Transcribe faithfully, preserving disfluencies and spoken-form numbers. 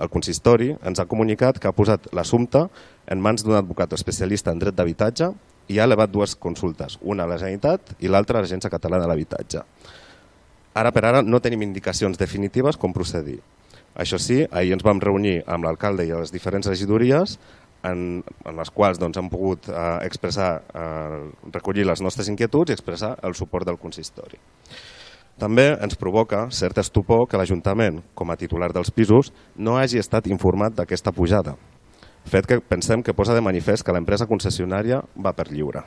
El consistori ens ha comunicat que ha posat l'assumpte en mans d'un advocat especialista en dret d'habitatge i ha elevat dues consultes, una a la Generalitat i l'altra a l'Agència Catalana de l'Habitatge. Ara per ara no tenim indicacions definitives com procedir. Això sí, ahir ens vam reunir amb l'alcalde i les diferents regidories en, en les quals doncs, hem pogut eh, expressar, eh, recollir les nostres inquietuds i expressar el suport del consistori. També ens provoca cert estupor que l'Ajuntament, com a titular dels pisos, no hagi estat informat d'aquesta pujada, fet que pensem que posa de manifest que l'empresa concessionària va per lliure.